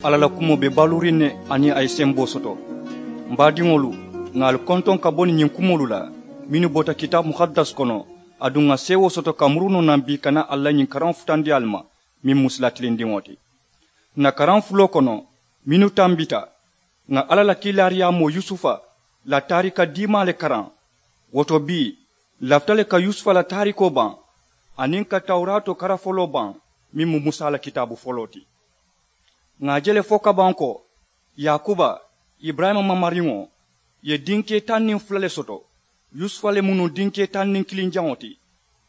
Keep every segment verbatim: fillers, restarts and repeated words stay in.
Alla la kumoo be baluuriŋ ne aniŋ a ye semboo soto. M baadiŋolu, ŋà ali kontoŋ ka bo niŋ ñiŋ kumoolu la mennu bota kitaabu muhaddas kono, aduŋ ŋà seewoo soto ka muru noo naŋ bii ka naa ali la ñiŋ karaŋo futandi ali ma, meŋ mu sila tilindiŋo ti. Ǹ na karaŋ fuloo kono mennu tambita, ŋà alla la kiilaariyaamoo yusufa la taarika diimaa le karaŋ. Wo to bii, ǹ lafita le ka yusufa la taarikoo baŋ, aniŋ ka tawuraatoo kara foloo baŋ, meŋ mu musa la kitaabu foloo ti. Ŋà a je le fo kabaŋ ko, yaakuba, iburayima mamariŋo, ye dinkee taŋ niŋ fula le soto. Yusufa le mu nuŋ dinkee taŋ niŋ kiliŋ jaŋo ti.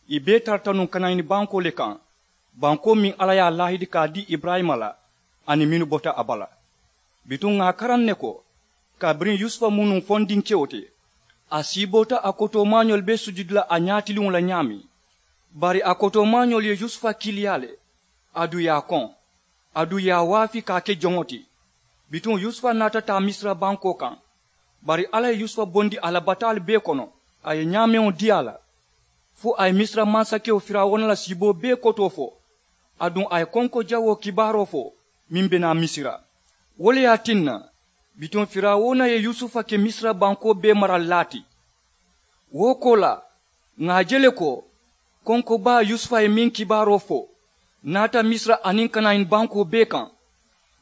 Ì bee tarata nuŋ kanayini bankoo le kaŋ, bankoo meŋ alla ye a laahidi ka a dii iburayima la, aniŋ mennu bota a bala. Bituŋ ŋà a karaŋ ne ko, kabiriŋ yusufa mu nuŋ fondinkewo ti, a siiboota a kotoomaañolu be sujudi la a ñaatiliŋo la ñaameŋ. Bari a kotoomaañolu ye yusufa kiiliyaa le, aduŋ ì ye a koŋ, aduŋ ì ye a waafi ka a ke joŋo ti. Bituŋ yusufa naata taa misira bankoo kaŋ. Bari alla ye yusufa bondi a la bataalu bee kono, a ye ñaameŋo dii a la, fo a ye misira mansakewo firawuna la siiboo bee kotoo fo, aduŋ a ye konko jawoo kibaaroo fo, meŋ be naa misira. Wo le ye a tinna, bituŋ firawuna ye yusufa ke misira bankoo bee maralilaa ti. Wo koolaa, ŋà a je le ko, konko baa yusufa ye meŋ kibaaroo fo, naata misira aniŋ kanayini bankoo bee kaŋ.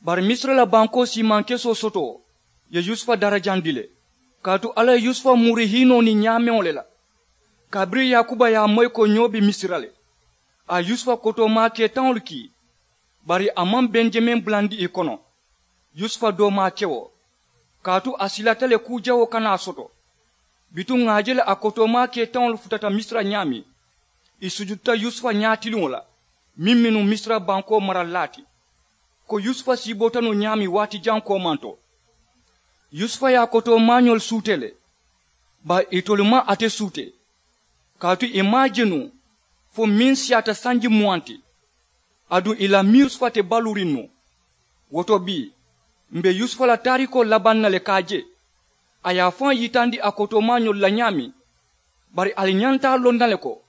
Bari misira la bankoo siimaŋ kesoo sotoo ye yusufa darajandi le, kaatu alla ye yusufa muuri hiinoo niŋ ñaameŋo le la. Kabiriŋ yaakuba ye a moyi ko ñoo be misira le, a ye yusufa kotoomaa kee taŋolu kii. Bari a maŋ benjamin bulandi ì kono, yusufa doomaa kewo, kaatu a silata le kuu jawoo kana a soto. Bituŋ ŋà a je le a kotoomaa kee taŋolu futata misira ñaameŋ, ì sujudita yusufa ñaatiliŋo la, meŋ mennu misira bankoo maralilaa ti, ko yusufa siiboota noo ñaameŋ waati jaŋ koomanto. Yusufa ye a kotoomaañolu suutee le, bari itolu maŋ ate suutee, kaatu ì maŋ a je nuŋ fo meŋ siyaata sanji muwaŋ ti. Aduŋ ì la miiru yusufa te baluuriŋ nuŋ. Wo to bii, m̀ be yusufa la taarikoo labaŋ na le ka a je. A ye a faŋ yitandi a kotoomaañolu la ñaameŋ. Bari ali ñanta a loŋ na le ko,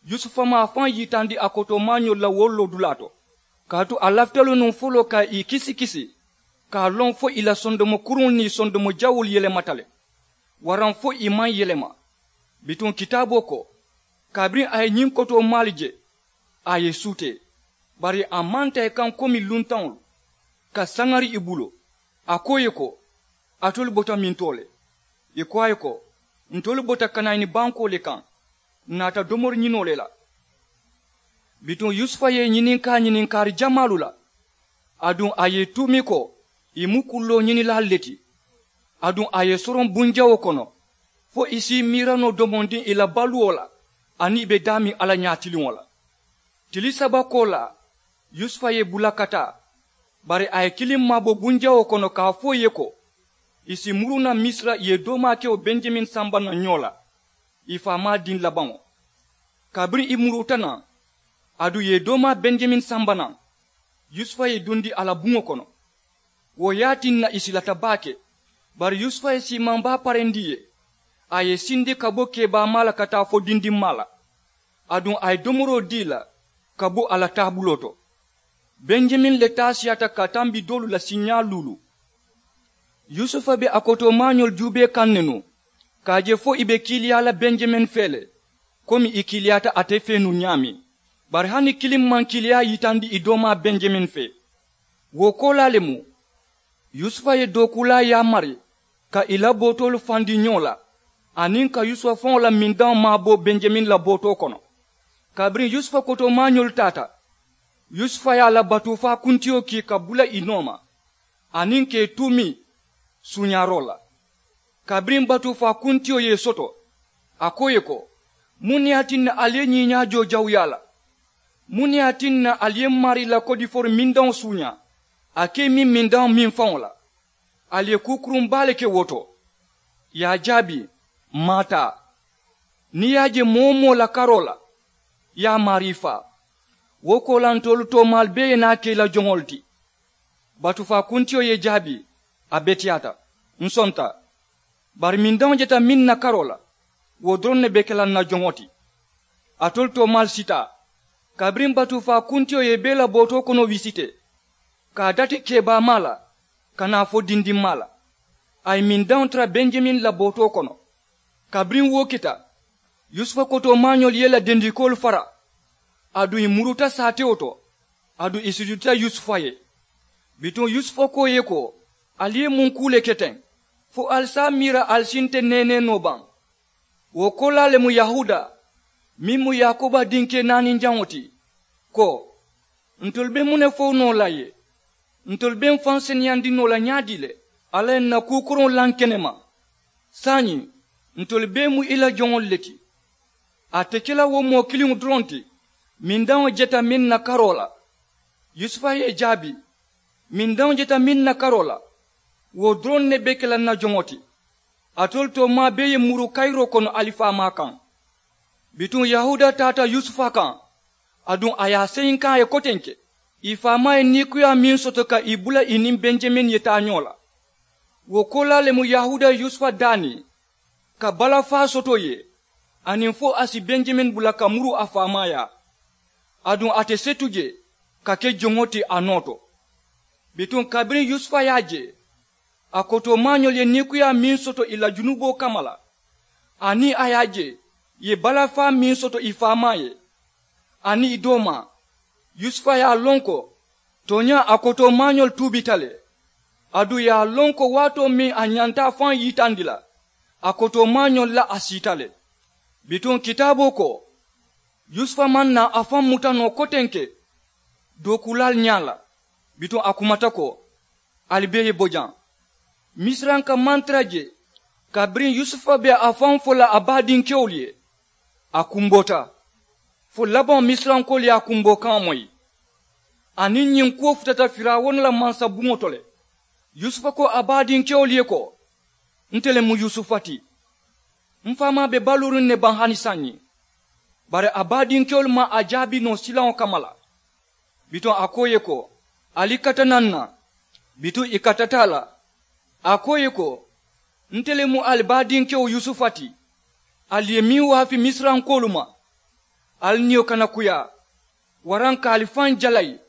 yusufa maŋ a faŋ yitandi a kotoomaañolu la wo loodulaa to, kaatu a lafita le nuŋ foloo ka ì kisikisi, ka a loŋ fo ì la sondomo kuruŋolu niŋ ì sondomo jawuulu yelemata le, waraŋ fo ì maŋ yelema. Bituŋ kitaaboo ko, kabiriŋ a ye ñiŋ kotoomaalu je, a ye ì suutee, bari a maŋ taa ì kaŋ komi luntaŋolu, ka saŋari ì bulu. A ko ì ye ko, alitolu bota mintoo le? Ì ko a ye ko, ntolu bota kanayini bankoo le kaŋ, ǹ naata domori ñinoo le la. Bituŋ yusufa ye ì ñininkaa ñininkaari jamaalu la, aduŋ a ye ì tuumi ko ì mu kulloo ñinilaalu le ti. Aduŋ a ye ì soroŋ bunjawoo kono, fo ì si ì miira noo domondiŋ ì la baluwo la, aniŋ ì be daameŋ alla ñaatiliŋo la. Tili saba koolaa, yusufa ye ì bula ka taa, bari a ye kiliŋ maabo bunjawoo kono ka a fo ì ye ko, ì si muru naŋ misira ì ye doomaa ke wo benjamin samba naŋ ñoo la, ì faamaa diŋ labaŋo. Kabiriŋ ì muruuta naŋ, aduŋ ì ye doomaa benjamin samba naŋ, yusufa ye ì dundi a la buŋo kono. Wo ye a tinna ì silata baake. Bari yusufa ye siimaŋ baa parendi ì ye, a ye ì sindi ka bo keebaamaa la ka taa fo dindimmaa la. Aduŋ a ye domoroo dii ì la ka bo a la taabuloo to. Benjamin le taasiyaata ka tambi doolu la siiñaa luulu. Yusufa be a kotoomaañolu juubee kaŋ ne nuŋ, ka a je fo ì be kiiliyaa la benjamin fee le, komi ì kiiliyaata ate fee nuŋ ñaameŋ. Bari hani kiliŋ maŋ kiiliyaa yitandi ì doomaa benjamin fee. Wo koolaa le mu, yusufa ye dookuulaa yaamari ka ì la bootoolu fandi ñoo la, aniŋ ka yusufa faŋo la mindaŋo maabo benjamin la bootoo kono. Kabiriŋ yusufa kotoomaañolu taata, yusufa ye a la batuufaa kuntiyo kii ka bula ì nooma, aniŋ ka ì tuumi suuñaaroo la. Kabiriŋ batuufaa kuntiyo ye ì soto, a ko ì ye ko, muŋ ne ye a tinna ali ye ñiiñaajoo jawuyaa la? Muŋ ne ye a tinna ali ye m maarii la kodifoori mindaŋo suuñaa, a ka ì miŋ mindaŋo miŋ faŋo la? Ali ye kuu kuruŋ baa le ke wo to. Ì ye a jaabi, m maŋ a taa. Niŋ ì ye a je moo-wo-moo la karoo la, ì ye a maarii faa. Wo koolaa ntolu toomaalu bee ye naa ke ì la joŋolu ti. Batuufaa kuntiyo ye ì jaabi, a beteyaata, ǹ sonta. Bari mindaŋo jeta meŋ na karoo la, wo doroŋ ne be ke la ǹ na joŋo ti. Alitolu toomaalu sitaa. Kabiriŋ batuufaa kuntiyo ye ì bee la bootoo kono wisitee, ka a dati keebaamaa la ka naa fo dindimmaa la. A ye mindaŋo tara benjamin la bootoo kono. Kabiriŋ wo kita, yusufa kotoomaañolu ye i la dendikoolu fara, aduŋ ì muruta saatewo to, aduŋ ì sujudita yusufa ye. Bituŋ yusufa ko ì ye ko, ali ye muŋ kuu le ke teŋ fo ali si a miira ali si nte neenee noo baŋ? Wo koolaa le mu yahuuda, meŋ mu yaakuba dinkee naaninjaŋo ti, ko, ntolu be muŋ ne fo noo la ye? Ntolu be m̀ faŋ seneyandi noo la ñaadii le? Alla ye ǹ na kuu koroŋo laŋ ke ne ma. Saayiŋ, ntolu bee mu i la joŋolu le ti. A te ke la wo moo kiliŋo doroŋ ti, mindaŋo jeta meŋ na karoo la. Yusufa ye ì jaabi, mindaŋo jeta meŋ na karoo la, wo doroŋ ne be ke la ǹ na joŋo ti. Alitolu toomaa bee ye muru kayiroo kono ali faamaa kaŋ. Bituŋ yahuuda taata yusufa kaŋ, aduŋ a ye a seyinkaŋ a ye kotenke. Ì faamaa ye niikuyaa meŋ soto ka ì bula ì niŋ benjamin ye taa ñoo la. Wo koolaa le mu yahuuda ye yusufa daani ka balafaa soto ì ye, aniŋ fo a si benjamin bula ka muru a faamaa yaa. Aduŋ a te setu je ka ke joŋo ti a noo to. Bituŋ kabiriŋ yusufa ye a je, a kotoomaañolu ye niikuyaa meŋ soto ì la junuboo kamma la, aniŋ a ye a je ì ye balafaa meŋ soto ì faamaa ye, aniŋ ì doomaa, yusufa ye a loŋ ko tooñaa a kotoomaañolu tuubita le. Aduŋ ì ye a loŋ ko waatoo meŋ a ñanta a faŋ yitandi la, a kotoomaañolu la a siita le. Bituŋ kitaaboo ko, yusufa maŋ naa a faŋ muta noo kotenke dookuulaalu ñaa la. Bituŋ a kumata ko, ali bee ye bo jaŋ. Misiranka maŋ tara jee kabiriŋ yusufa be a faŋ fo la a baadinkewolu ye. A kumboota fo labaŋo misirankoolu ye a kumboo kaŋo moyi. Aniŋ ñiŋ kuwo futata firawuna la mansabuŋo to le. Yusufa ko a baadinkewolu ye ko, nte le mu yusufa ti. M̀ faamaa be baluuriŋ ne baŋ hani saayiŋ? Bari a baadinkewolu maŋ a jaabi noo silaŋo kamma la. Bituŋ a ko ì ye ko, ali kata naŋ ǹ na. Bituŋ ì katata a la. A ko ì ye ko, nte le mu ali baadinkewo yusufa ti. Ali ye meŋ waafi misirankoolu ma, ali niyo kana kuyaa, waraŋ ka ali faŋ jalayi.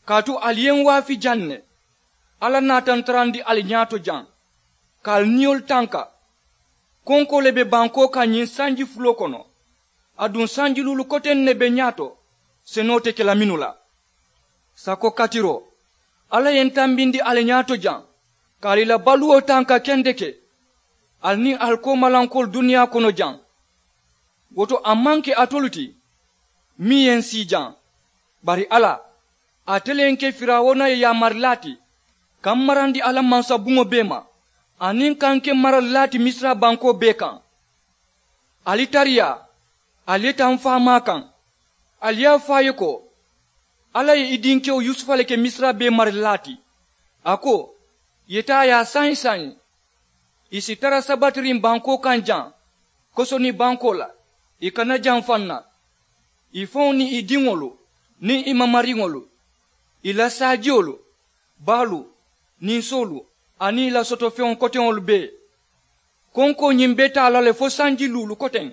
Kaatu ali ye m waafi jaŋ ne. Alla naata n tarandi ali ñaato jaŋ ka ali niyolu tanka. Konkoo le be bankoo kaŋ ñiŋ sanji fuloo kono. Aduŋ sanji luulu koteŋ ne be ñaato senoo te ke la mennu la. Sako katiroo, alla ye n tambindi ali ñaato jaŋ ka ali la baluwo tanka kendeke. Ali niŋ ali koomalankoolu duniyaa kono jaŋ. Wo to a maŋ ke alitolu ti meŋ ye n sii jaŋ, bari alla, ate le ye n ke firawuna ye yaamarila ti ka m marandi a la mansabuŋo bee ma, aniŋ ka n ke maralilaa ti misira bankoo bee kaŋ. Ali tariyaa, ali ye taa m faamaa kaŋ. Ali ye a fo a ye ko, alla ye i dinkewo yusufa le ke misira bee maralilaa ti. A ko, ì ye taa yaa saayiŋ saayiŋ. Ì si tara sabatiriŋ bankoo kaŋ jaŋ kosoni bankoo la, ì kana janfa n na. Ì faŋo niŋ ì diŋolu niŋ ì mamariŋolu, ì la saajiyolu, baalu, ninsoolu, aniŋ ì la sotofeŋo koteŋolu bee. Konkoo ñiŋ be taa la le fo sanji luulu koteŋ.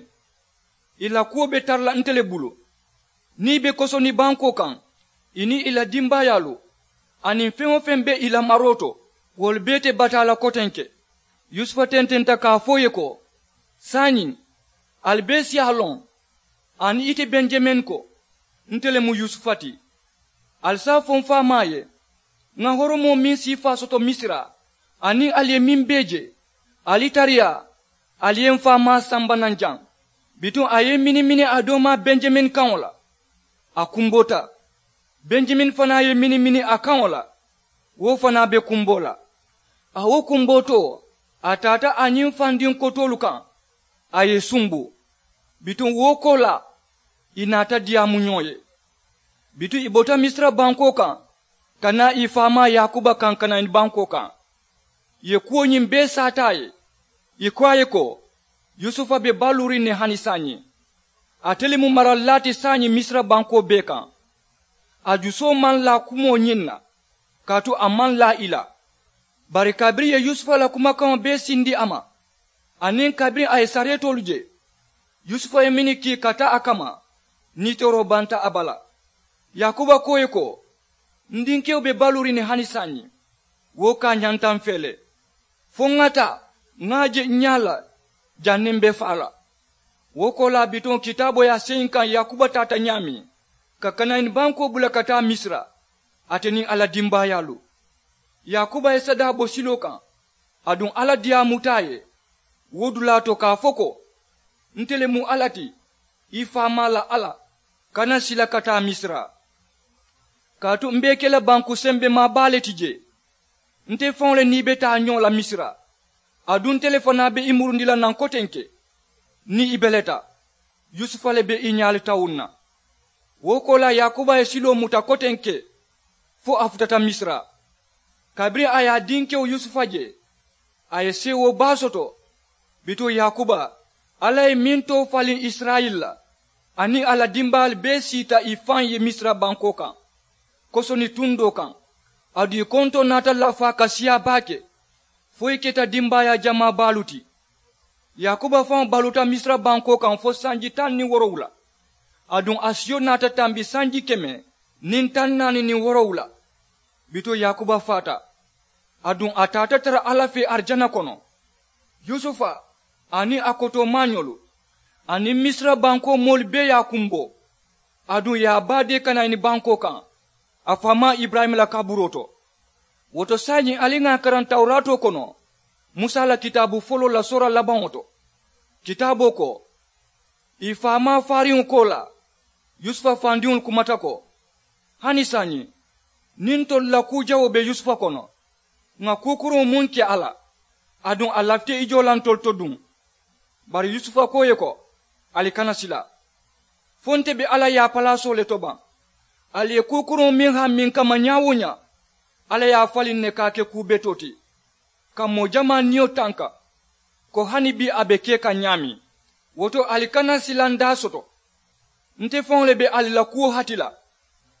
Ì la kuwo be tara la nte le bulu. Niŋ ì be kosoni bankoo kaŋ, ì niŋ ì la dimbaayaalu aniŋ feŋ-wo-feŋ be ì la maroo to, wolu bee te bataa la kotenke. Yusufa tententa ka a fo ì ye ko, saayiŋ, ali bee si a loŋ, aniŋ ite benjamin ko, nte le mu yusufa ti. Ali si a fo m faamaa ye, ŋà horomoo meŋ siifaa soto misira, aniŋ ali ye meŋ bee je, ali tariyaa, ali ye m faamaa samba naŋ jaŋ. Bituŋ a ye i minimini a doomaa benjamin kaŋo la. A kumboota. Benjamin fanaa ye i minimini a kaŋo la. Wo fanaa be kumboo la. A wo kumbootoo, a taata a ñiŋ fandiŋ kotoolu kaŋ, a ye i sumbu. Bituŋ wo koolaa, ì naata diyaamu ñoo ye. Bituŋ ì bota misira bankoo kaŋ ka naa ì faamaa yaakuba kaŋ kanani bankoo kaŋ. Ì ye kuwo ñiŋ bee saata a ye. Ì ko a ye ko, yusufa be baluuriŋ ne hani saayiŋ. Ate le mu maralilaa ti saayiŋ misira bankoo bee kaŋ. A jusoo maŋ laa kumoo ñiŋ na, kaatu a maŋ laa ì la. Bari kabiriŋ ì ye yusufa la kumakaŋo bee sindi a ma, aniŋ kabiriŋ a ye sareetoolu je, yusufa ye mennu kii ka taa a kamma, niitooroo banta a bala. Yaakuba ko ì ye ko, N dinkewo be baluuriŋ ne hani saayiŋ. Wo kaa ñanta m fee le. Fo ŋa taa ŋa a je ǹ ñaa la. Janniŋ m be faa la. Wo koolaa bituŋ kitaaboo ye a seyi n kaŋ yaakuba taata ñaameŋ ka kanayini bankoo bula ka taa misira, ate niŋ a la dimbaayaalu. Yaakuba ye sadaa bo siloo kaŋ. Aduŋ alla diyaamuta a ye wo dulaa to ka a fo ko, nte le mu alla ti, i faamaa la alla. Kana sila ka taa misira. Kaatu m be i ke la banku sembemaa baa le ti jee. Nte faŋo le niŋ i be taa ñoo la misira. Aduŋ nte le fanaa be i murundi la naŋ kotenke. Niŋ i beleta yusufa le be i ñaalu tawuŋ na. Wo koolaa yaakuba ye siloo muta kotenke fo a futata misira. Kabiriŋ a ye a dinkewo yusufa je, a ye seewoo baa soto. Bituŋ yaakuba alla ye meŋ too faliŋ isirayila la, aniŋ a la dimbaayaalu bee siita i faŋ ye misira bankoo kaŋ. Kosoni tundoo kaŋ, aduŋ i kontoo naata lafaa ka siyaa baake fo i keta dimbaayaa jamaa baalu ti. Yaakuba faŋo baluuta misira bankoo kaŋ fo sanji taŋ niŋ woorowula. Aduŋ a siyo naata tambi sanji keme niŋ taŋ naani niŋ woorowula. Bituŋ yaakuba faata. Aduŋ a taata tara alla fee arijana kono. Yusufa aniŋ a kotoomaañolu aniŋ misira bankoo moolu bee ye a kumboo. Aduŋ ì ye a baadee kanayini bankoo kaŋ a faamaa iburayima la kaburoo to. Wo to saayiŋ ali ŋà a karaŋ tawuraatoo kono musa la kitaabu foloo la soora labaŋo to. Kitaaboo ko, ì faamaa faariŋo koolaa yusufa fandiŋolu kumata ko, hani saayiŋ niŋ ntolu la kuu jawoo be yusufa kono, ŋà kuu kuruŋo muŋ ke a la. Aduŋ a lafita i joo la ntolu to duŋ. Bari yusufa ko ì ye ko, ali kana sila. Fo nte be alla yaapalaasoo le to baŋ. Ali ye kuu kuruŋo meŋ hammiŋ kamma ñaa-wo-ñaa, alla ye a faliŋ ne ka a ke kuu betoo ti ka moo jamaa niyo tanka ko hani bii a be ke kaŋ ñaameŋ. Wo to ali kana silandaa soto. Nte faŋo le be ali la kuwo hati la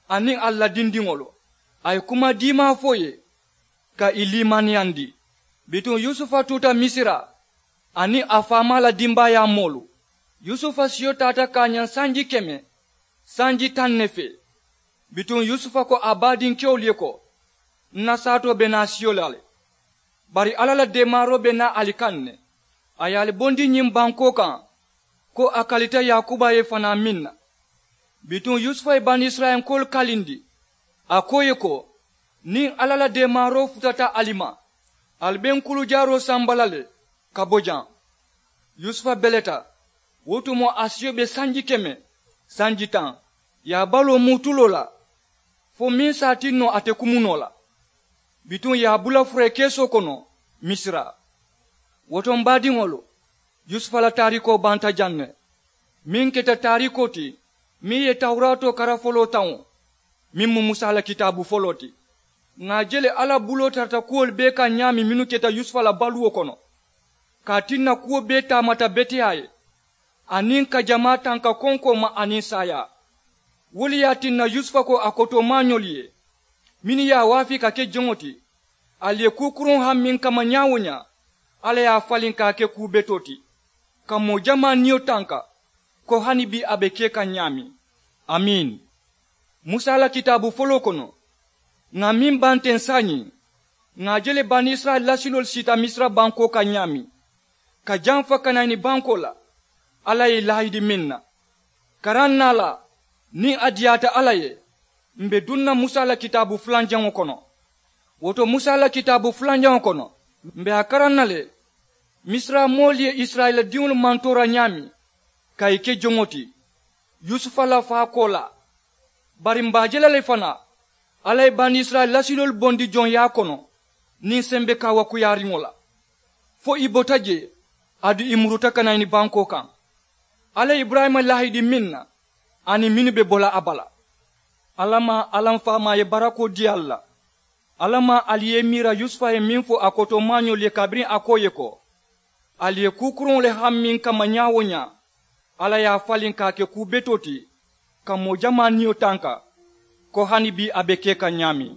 aniŋ ali la dindiŋolu. A ye kuma diimaa fo ì ye ka ì liimaniyandi. Bituŋ yusufa tuuta misira aniŋ a faamaa la dimbaayaa moolu. Yusufa siyo taata ka a ñaŋ sanji keme sanji taŋ ne fee. Bituŋ yusufa ko a baadinkewolu ye ko, n na saatoo be naa siyo la le. Bari alla la deemaaroo be naa ali kaŋ ne. A ye ali bondi ñiŋ bankoo kaŋ ko a kalita yaakuba ye fanaa meŋ na. Bituŋ yusufa ye banisirayilankoolu kalindi a ko ì ye ko, niŋ alla la deemaaroo futata ali ma, ali be n kulujaaroo samba la le ka bo jaŋ. Yusufa beleta. Wo tumoo a siyo be sanji keme sanji taŋ. Ì ye a baloo muu tuloo la fo meŋ si a tinno ate kumu noo la. Bituŋ ì ye a bula furee keesoo kono misira. Wo to m baadiŋolu, yusufa la taariikoo banta jaŋ ne. Meŋ keta taariikoo ti meŋ ye tawuraatoo kara foloo taŋo, meŋ mu musa la kitaabu foloo ti. Ŋà a je le alla buloo tarata kuwolu bee kaŋ ñaameŋ mennu keta yusufa la baluwo kono. Ka a tinna kuwo bee taamata beteyaa ye aniŋ ka jamaa tanka konkoo ma aniŋ saayaa. Wo le ye a tinna yusufa ko a kotoomaañolu ye mennu ye a waafi ka ke joŋo ti, ali ye kuu kuruŋo hammiŋ kamma ñaa-wo-ñaa, alla ye a faliŋ ka a ke kuu betoo ti ka moo jamaa niyo tanka ko hani bii a be ke kaŋ ñaameŋ. Amiin. Musa la kitaabu foloo kono, ŋà meŋ baŋ teŋ saayiŋ, ŋà a je le banisirayila lasiloolu siita misira bankoo kaŋ ñaameŋ ka jamfa kanayini bankoo la. Alla ye ì laahidi meŋ na, karaŋ naa la niŋ a diyaata alla ye, m̀ be duŋ na musa la kitaabu fulanjaŋo kono. Wo to musa la kitaabu fulanjaŋo kono, m̀ be a karaŋ na le misira moolu ye isirayila diŋolu mantoora ñaameŋ ka ì ke joŋo ti yusufa la faakoolaa. Bari m̀ be a je la le fanaa, alla ye banisirayila lasiloolu bondi joŋyaa kono niŋ sembe kaawakuyaariŋo la fo ì bota jee, aduŋ ì muruta kanayini bankoo kaŋ. Alla ye iburayima laahidi meŋ na aniŋ mennu be bo la a bala. Alla maa alla m faamaa ye barakoo dii ali la. Alla maa ali ye i miira yusufa ye meŋ fo a kotoomaañolu ye kabiriŋ a ko ì ye ko, ali ye kuu kuruŋo le hammiŋ kamma ñaa-wo-ñaa, alla ye a faliŋ ka a ke kuu betoo ti ka moo jamaa niyo tanka ko hani bii a be ke kaŋ ñaameŋ.